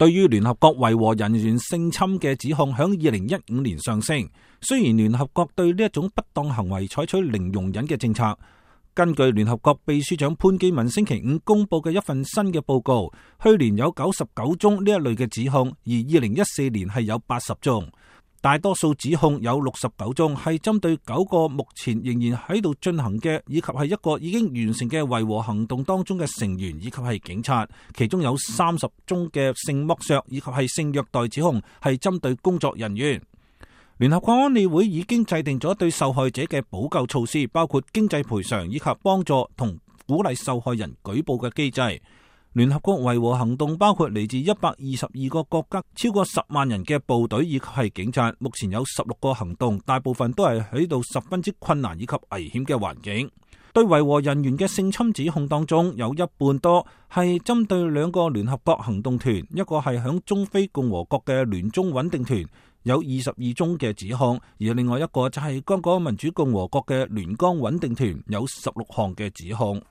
對於聯合國維和人員性侵嘅指控，響2015年上升。雖然聯合國對呢一種不當行為採取零容忍嘅政策，根據聯合國秘書長潘基文星期五公佈嘅一份新嘅報告，去年有99宗呢一類嘅指控，而2014年係有80宗。大多數指控有69宗係針對9個目前仍然喺度進行嘅，以及係一個已經完成嘅維和行動當中嘅成員，以及係警察。其中有30宗嘅性剝削以及係性虐待指控係針對工作人員。聯合國安理會已經制定咗對受害者嘅補救措施，包括經濟賠償以及幫助同鼓勵受害人舉報嘅機制。聯合國維和行動包括嚟自122個國家超過10萬人嘅部隊以及係警察，目前有16個行動，大部分都係喺度十分之困難以及危險嘅環境。對維和人員嘅性侵指控當中，有一半多係針對2個聯合國行動團，一個係響中非共和國嘅聯中穩定團，有22宗嘅指控，而另外一個就係剛果民主共和國嘅聯江穩定團，有16項嘅指控。